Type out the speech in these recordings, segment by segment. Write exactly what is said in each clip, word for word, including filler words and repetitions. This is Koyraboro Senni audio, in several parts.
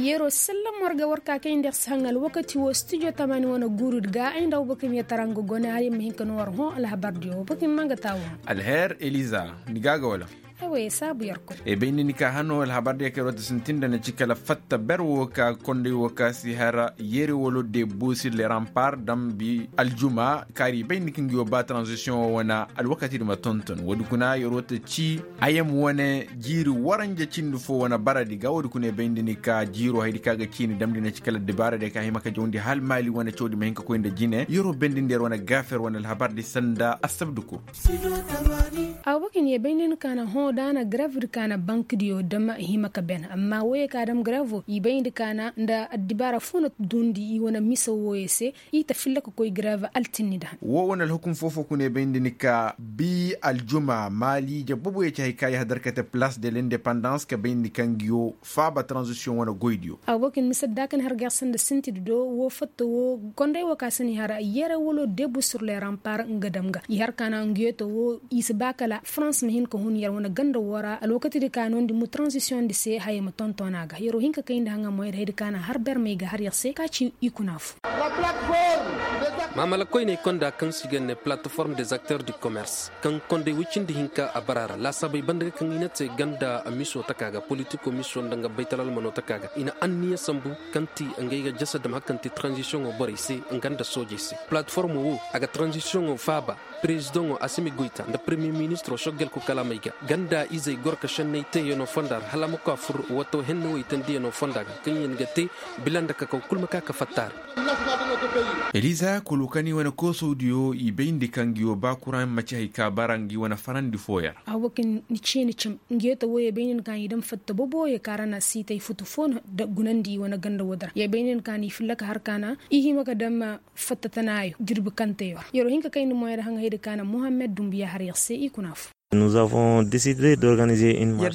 Yeroo sallam war ga war ka kay nda yer si haŋ alwakati woo studio tamaani wane guuru ga ay nda abubakar meetara nga gone har yer ma hin ka noo war hõ alhabar diyo abubakar ma nga taawo. Alher eliza, ni ga a ga wala? Ay wey saabu yer koy. E bay nda ni ka hano alhabar diyo ka yer woo ta sintin nda na ci kala fatta ber woo ka konday woo ka si har yere walo de buusir le rampar dambi aljuma kaari bay nda ni ka ngi woo ba transition woo wane alwakati di ma tonton woodi kuna yer woo ta ci. Ayam wane jiiri waranja cindi foo wane baradi ga woodi kuna e bay nda ni ka jiiroo haydi ka ga ciini damndi na ci kala dibaara day ka hima ka jawndi hal maali wane cawdi ma hin ka koy nda jine yeroo bendindi yer wane gaafer wane alhabar di sanda assabdu kul. Awa bakin ye bay nda ni ka na hõ da a na grev di ka na bank diyo dam hima ka ben amma woyey ka dam grevo i bay nda ka na nda addibaara foo na duundi i wane mise woyey se. I ta filla ka koy grev altinni da han. Woo wane alhukum foo-foo kuna i bay nda ni ka bii aljuma maali jabbabu ye ci hay ka yahadar ka te palaas de lindepandans ka bay nda ni ka ngi yoo faaba taranzisiyoŋ wane goydiyo. Awa bakin mise da ka ni har ga yer sanda sintidi do woo fatta woo konday woo ka si ni har yere walo debu sur le rampar nga dam ga i har ka na ngi yoo ta woo i si ba kala farans ma hin ka hun yer wane ganda woo ra alwakatidi ka noondi mu taranzisiyoŋ di se haya ma tonton a ga yeroo hin ka kay nda haŋa moyadi hayadi ka na har bermey ga har yer se ka ci i kuna fu. Maamala koyney konda kaŋ se i ga ne plateforme des acteurs du commerce kaŋ konday woy cindi hinka a bara ra laasaabey banda ga kaŋ i na te ganda miso taka ga politiko miso nda nga baytalalmano taka ga i na anniya sambu kaŋ ti ngey ga jasa dam hari kaŋ ti tranzisiyoŋo borey se nga nda soojey se. Plateformo wo a ga tranzisiyoŋo faaba. Perezidaŋo asimi goyta nda peremiye ministiro soggel ku kalaamey ga ganda izey goro ka šenney teeyanoo fonda ra hala a ma koy a fur wato henne woy tandiyanoo fonda ga kaŋ yaŋ ga te bila nda kakaw kul ma ka ka fatta a ra. Eliza kulukani wane koosowdiyo i bayndi ka ngi wo ba kuraŋ ma ci hay ka bara ngi wane farandi fooyaŋ ra. Awo kaŋ ni ciini cim ngi yee ta woyey bayndi ni ka ngi dam fatta boboyey ka ra na siitey futu foo no gunandi i wane ganda woodi ra yee bayndi ni ka ngi filla ka har ka na i hima ka dam fatta tanaayo jirbi kaŋ te yer ra yer wo hin ka kayndi moyey ra haŋ haydi ka na muhammed dumbuya har yer se i kuna fo. Yer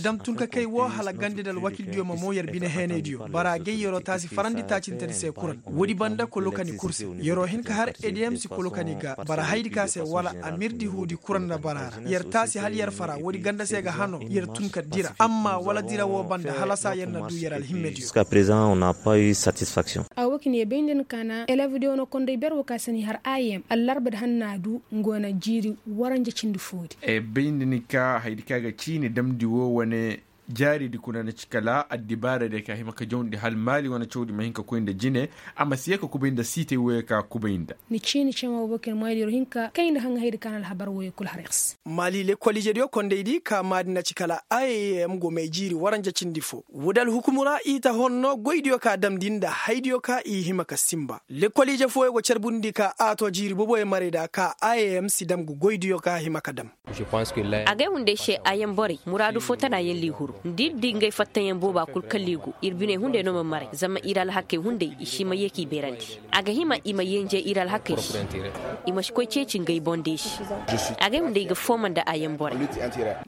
dam tun ka kay woo hala gandi nda alwakildiyo ma moo yer bine heenaydiyo bara gay yeroo taasi farandi taacintedi se kuraŋ. Woodi banda kolokani kul se yeroo hin ka har ediyem si kolokani ga bara haydi ka se wala amirdi huudi kuraŋ nda bara ra yer taasi hala yer fara woodi ganda se ga hanoo yer tun ka dira amma wala dira woo banda halasa yer na duu yer alhimmediyo. Awo kaŋ ye bay nda ni ka na elevdiyo na konday ber woo ka se ni har ayem allarba di hanna du nga wane jiiri waranja cindi foodi. Bay nda ni ka haydi ka ga ciini damndi woo wane jaaridi kuna na ci kala addibaaradiyo ka hima ka jawndi hal maali wane cawdi ma hin ka koy nda jine. A ma si ye ka kubay nda siitay woyey ka kubay nda. Ni ciini cema wo bokin moyadiyo hin ka kay nda haŋ haydi ka na alhabar woyey kul har yer se. Maali lekkol ijediyo kondaydi ka maadi na ci kala a ye ye m go may jiiri waranja cindi fo. Woodi alhukumu ra i ta honno goydiyo ka damndi nda haydiyo ka i hima ka sinba. Lekkol ije fooyo go carbundi ka a to jiiri boboyo marayda ka a ye ye m si dam ga goydiyo ka hima ka dam. Agay hunday se a yaŋ borey muraadu fo tana yaŋ liihuru nda ir di ngey fattayaŋ booba kul kala i go ir biney hunday no ma maray zama ir alhakey hunday i si ma ye k'i beerandi. A ga hima i ma yenje ir alhakey se. I ma si koy ceeci ngey boŋ deesi. Agay hunday i ga fooma nda a yaŋ borey.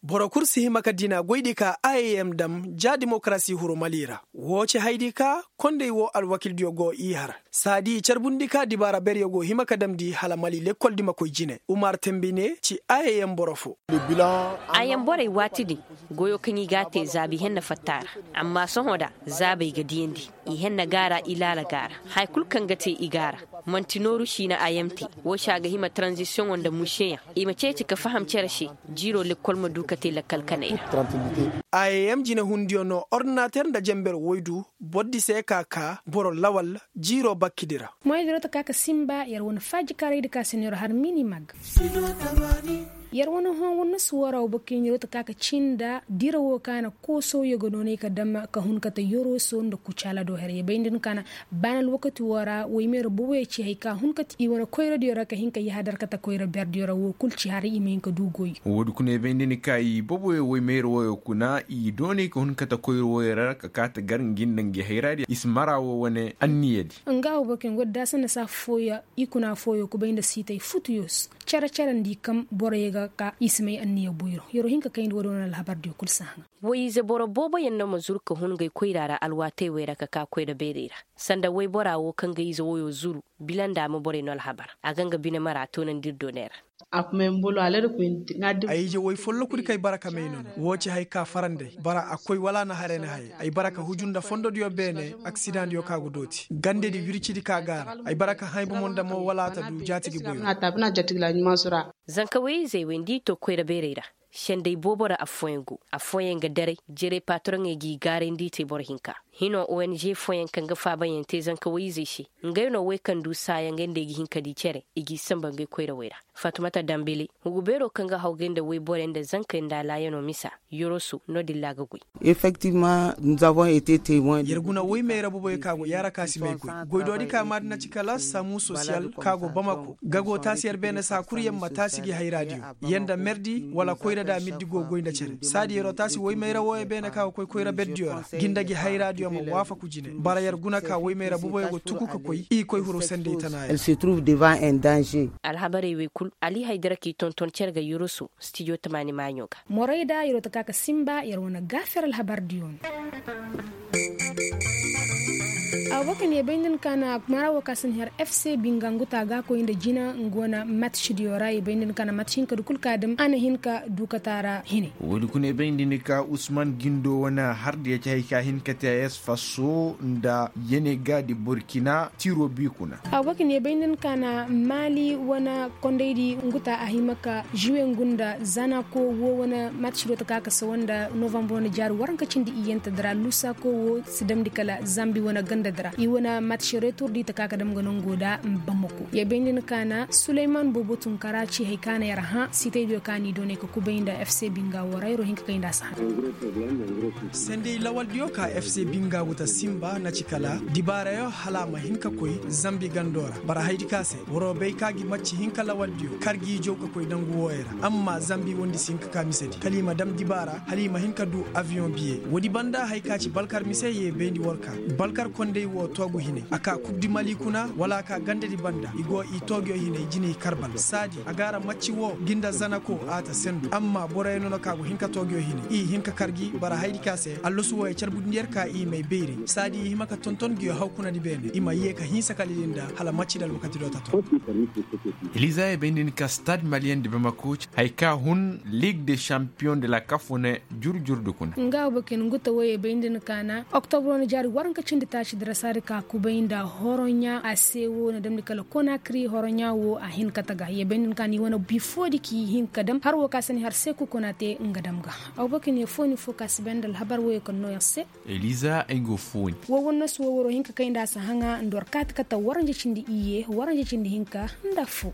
Boro kul si hima ka dina goydi ka a ye ye m dam ja demokarasi huru mali ra. Woo ci haydi ka konday woo alwakildiyo go i har saa di i carbundi ka dibaara beryo go hima ka damndi hala mali lekkol di ma koy jine umar tembi ne ci a ye ye m boro fo. A yaŋ borey waati din goyo kaŋ i ga a te zaabi henna fatta ra. Amma sohõ da zaabey ga diyandi i henna ga a ra i laala ga a ra. Haya kul kaŋ ga te i ga a ra man'ti nooru siina a yaŋ te. Woo se a ga hima taranzisiyoŋo nda museyaŋ i ma ceeci ka faham cere se. Jiiroo lekkol ma du ka te lakkal kanay ra. A ye ye m jinehundiyo no ordinater nda jenber woy du. Bordi se ka kaa boro lawal jiiroo bakkidi ra. Moyadiyo ta ka ka sinba yer wane faajikaaraydi ka se no yer har mini mag. Yer wane hõ wane nasu woo ra wo boro kaŋ yer ta ka ka cii nda dira woo ka na koosowyo ga noonay ka dam ka hun ka ta yoroso nda kucaala do her ye bay nda ni ka na baana alwakati woo ra woy meera boboyo ci hay ka hun ka ta i wane koyradiyo ra ka hin ka yahadar ka ta koyra berdiyo ra woo kul ci haray i ma hin ka du goy. Woodi kuna i bay nda ni ka i boboyo woy meera wooyo kuna i doonay ka hun ka ta koyra wooyo ra ka kaa ta gar ngi nda ngi hayraadiyo i si mara woo wane anniyadi. Nga wo boro kaŋ go da daasa nda saa fooyo i kuna fooyo kubay nda siitay futuyo se. Cere-cere nda i kaŋ boroyo ga ka i si may anniya boyro yer wo hin ka kayndi woodi wane alhabardiyo kul si haŋa. Woy-ize boro booboyaŋ no ma zuru ka hun ngey koyra ra alwaatey wey ra ka kaa koyra beerey ra. Sanda woybora wo kaŋ ga ize woyo zuru bila nda a ma borey no alhabar a ga nga bine mara toonandi ir dooney ra. Ay ije woy folloku di kay bara ka may nono woo ci hay ka faranday bara a koy wala na haray na hayay ay bara ka huju nda fondodiyo beene aksidaŋdiyo ka go dooti gandedi wircidi ka gaara ay bara ka haybamo nda mo wala a ta du jaatigi boyo. Zanka woy-izey wey nda i to koyra bayray ra. Senday boobo ra affooyaŋ go affooyaŋ ga daray jerey patoroŋey g'i gaaray nda i te boro hinka. Hino ong fooyaŋ kaŋ ga faabayaŋ te zanka woy-izey se. Ngey no wey kaŋ du saayaŋ ngey nda ay ga hin ka di cere i g'i samba ngey koyrawey ra. Fatumata dambele hugu beero kaŋ ga hawgay nda woy borey nda zankey nda alaayanoo misa. Yoroso no-din ra a ga goy. Yer guna woy mayra boboyo ka go yaara ka si may goy goydoodi ka maadi na ci kala samu sosiyal ka go bamako ga go taasi yer beene saa kul yer ma taasi gi hayraadiyo. Yer nda merdi wala koyrada mirdi go goy nda cere saadi yeroo taasi woy mayra wooyo beene ka go koy koyra berdiyo ra gi nda gi hayraadiyo ma waafaku jine. Bara yer guna ka woy mayra boboyo go tuku ka koy i koy huru sendey tanaayo. Alhabarey wey kul ali haydara k'i tonton cere ga yoroso stijo tamaani maaɲo ga. Morayda yeroo ta ka ka sinba yer wane gaafer alhabardiyo no. Awa kaŋ ye bay nda ni ka na mara wo ka si ni har fc binga nguta ga koy nda jina nga wane match diyo ra ye bay nda ni ka na match hinka du kul ka dam a na hin ka du ka taara hine. Woodi kuna ye bay nda ni ka usman gindo wane har diya ci hay ka hin ka te a yasfaso nda yene ga di burkina tiro bi kuna. Awa kaŋ ye bay nda ni ka na mali wane kondaydi nguta a hima ka juwe ngu nda zanako wo wane match do ta ka ka sawa nda novambar wane jaari waranka cindi iyyanta dira lusako wo si damndi kala zambi wane ganda dira i wane match retur di ta ka ka dam ga nango da bamako ye bayndi ni ka na suleyman boobo tunkara ci hay ka na yar hã sitaydiyo ka ni doonay ka kubay nda fc binga wo ra yaro hinka kay nda a si hã. Sendey lawaldiyo ka fc binga go ta simba na ci kala dibaarayo hala a ma hin ka koy zambi gando ra bara haydi ka se waroo bay ka gi macci hinka lawaldiyo kar g'i jaw ka koy dangu wooyo ra amma zambi wondi si hin ka ka misedi kala i ma dam dibaara hala i ma hin ka du abiyoŋ biye woodi banda haya ka ci balkar mise ye bayndi war ka balkar kondey woo toogu hine a ka kubdi mali kuna wala a ka gandadi banda i go i tooguyo hine i jine i karbal saadi a gaara macci woo gi nda zanako a ta sendu amma boroyo nono ka go hin ka tooguyo hine i hin ka kar gi bara haydi ka se allasu wooyo carbudindi yer ka i may bayray saadi i hima ka tonton nguyo haw kuna di beene i ma yee ka hinsa kala i din da hala macci da alwakati do ta to. Eliza ye bay nda ni ka stade maliyen di bamako haya ka hun ligue de champion de la kaf wane jur jur di kuna. Nga wo bakin guta wo ye bay nda ni ka na oktobro ni jaari waranka cindi taaci dira saadi ka kubay nda horoɲa a se wo na damndi kala konakri horoɲa wo a hin ka taga ye bay nda ni ka na i wane bifo di k'i hin ka dam har wo ka si ni har seku kuna te nga dam ga. Aw bakin ye fo ni fo ka si bay nda alhabar wo ye kaŋ no yer se. Eliza ay go fooni. Wo wannasu wo waroo hin ka kay nda a si haŋa nda war kaati kata waranja cindi iyye waranja cindi hinka nda affoo.